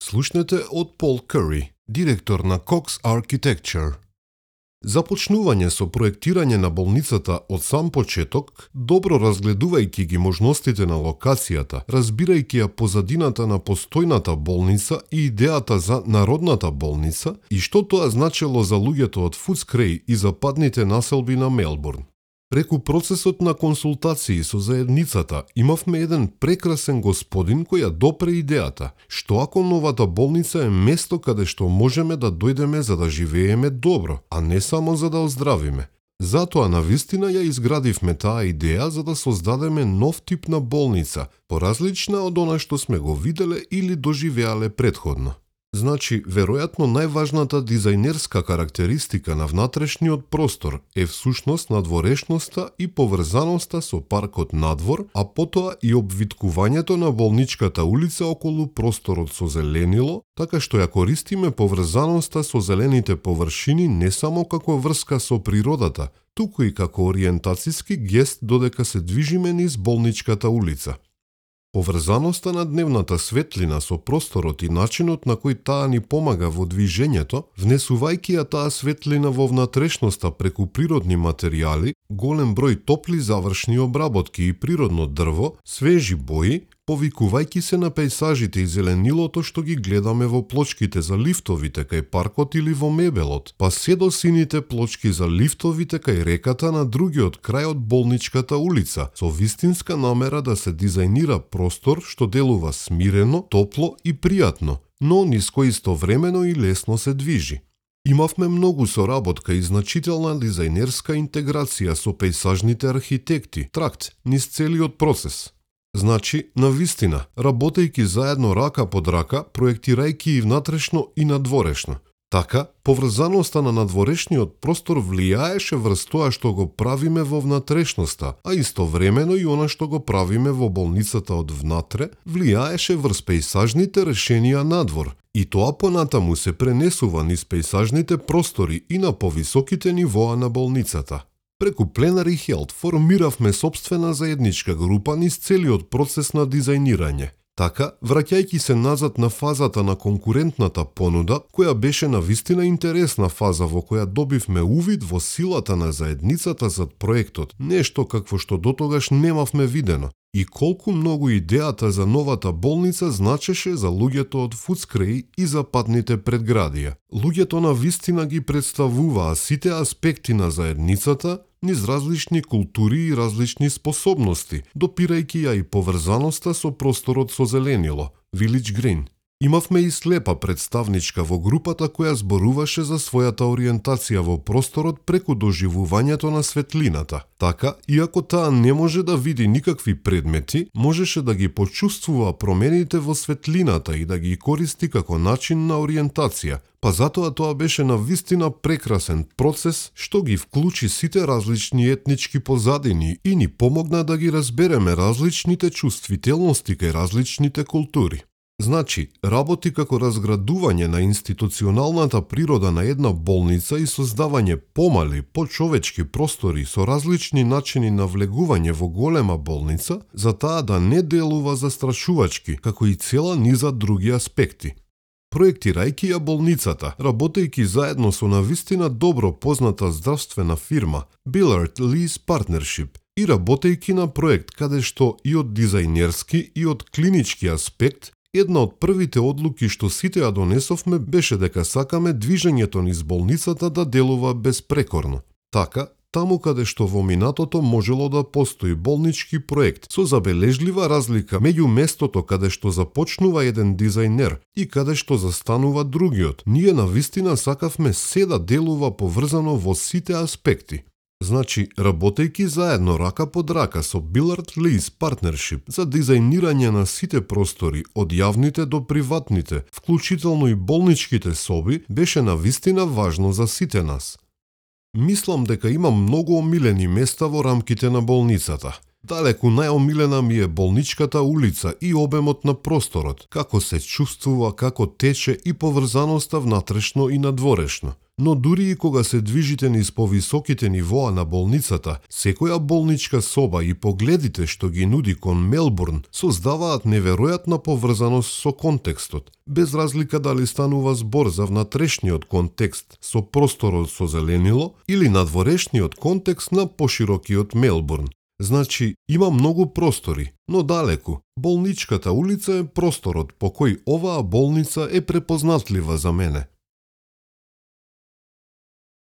слушнете од Пол Кури, директор на Cox Architecture. Започнување со проектирање на болницата од сам почеток, добро разгледувајќи ги можностите на локацијата, разбирајќи ја позадината на постојната болница и идејата за народната болница и што тоа значело за луѓето од Фудскрај и западните населби на Мелбурн. Преку процесот на консултации со заедницата имавме еден прекрасен господин кој ја допре идејата, што ако новата болница е место каде што можеме да дојдеме за да живееме добро, а не само за да оздравиме. Затоа навистина ја изградивме таа идеја за да создадеме нов тип на болница, поразлична од она што сме го виделе или доживеале претходно. Значи, веројатно најважната дизајнерска карактеристика на внатрешниот простор е всушност надворешноста и поврзаноста со паркот надвор, а потоа и обвиткувањето на болничката улица околу просторот со зеленило, така што ја користиме поврзаноста со зелените површини не само како врска со природата, туку и како ориентацијски гест додека се движиме низ болничката улица. Поврзаноста на дневната светлина со просторот и начинот на кој таа ни помага во движењето, внесувајќи ја таа светлина во внатрешноста преку природни материјали, голем број топли завршни обработки и природно дрво, свежи бои, повикувајќи се на пејсажите и зеленилото што ги гледаме во плочките за лифтовите кај паркот или во мебелот, па се до сините плочки за лифтовите кај реката на другиот крај од болничката улица, со вистинска намера да се дизајнира простор што делува смирено, топло и пријатно, но низ кој истовремено и лесно се движи. Имавме многу соработка и значителна дизајнерска интеграција со пејсажните архитекти, тракт низ целиот процес. Значи, навистина, работејќи заедно рака под рака, проектирајќи и внатрешно и надворешно. Така, поврзаноста на надворешниот простор влијаеше врз тоа што го правиме во внатрешноста, а истовремено и она што го правиме во болницата од внатре, влијаеше врз пејсажните решенија надвор, и тоа понатаму се пренесува низ пејсажните простори и на повисоките нивоа на болницата. Преку Plenary Health формиравме сопствена заедничка група низ целиот процес на дизајнирање. Така, враќајќи се назад на фазата на конкурентната понуда, која беше навистина интересна фаза во која добивме увид во силата на заедницата зад проектот, нешто какво што дотогаш немавме видено, и колку многу идејата за новата болница значеше за луѓето од Фудскрај и западните предградија. Луѓето навистина ги представуваа сите аспекти на заедницата низ различни култури и различни способности, допирајќи ја и поврзаноста со просторот со зеленило, Village Green. Имавме и слепа представничка во групата која зборуваше за својата ориентација во просторот преку доживувањето на светлината. Така, иако таа не може да види никакви предмети, можеше да ги почувствува промените во светлината и да ги користи како начин на ориентација. Па затоа тоа беше навистина прекрасен процес што ги вклучи сите различни етнички позадини и ни помогна да ги разбереме различните чувствителности кај различните култури. Значи, работи како разградување на институционалната природа на една болница и создавање помали, почовечки простори со различни начини на влегување во голема болница, за таа да не делува застрашувачки, како и цела низа други аспекти. Проектирајќи ја болницата, работејќи заедно со навистина добро позната здравствена фирма Billard Lease Partnership и работејќи на проект каде што и од дизајнерски и од клинички аспект, една од првите одлуки што сите ја донесовме беше дека сакаме движењето низ болницата да делува безпрекорно. Така, таму каде што во минатото можело да постои болнички проект со забележлива разлика меѓу местото каде што започнува еден дизајнер и каде што застанува другиот, ние навистина сакавме се да делува поврзано во сите аспекти. Значи, работејќи заедно рака под рака со Billard Lease Partnership за дизајнирање на сите простори, од јавните до приватните, вклучително и болничките соби, беше навистина важно за сите нас. Мислам дека имам многу омилени места во рамките на болницата. Далеку најомилена ми е болничката улица и обемот на просторот, како се чувствува, како тече и поврзаноста внатрешно и надворешно. Но дури и кога се движите низ повисоките нивоа на болницата, секоја болничка соба и погледите што ги нуди кон Мелбурн создаваат неверојатна поврзаност со контекстот, без разлика дали станува збор за внатрешниот контекст со просторот со зеленило или надворешниот контекст на поширокиот Мелбурн. Значи, има многу простори, но далеку. Болничката улица е просторот по кој оваа болница е препознатлива за мене.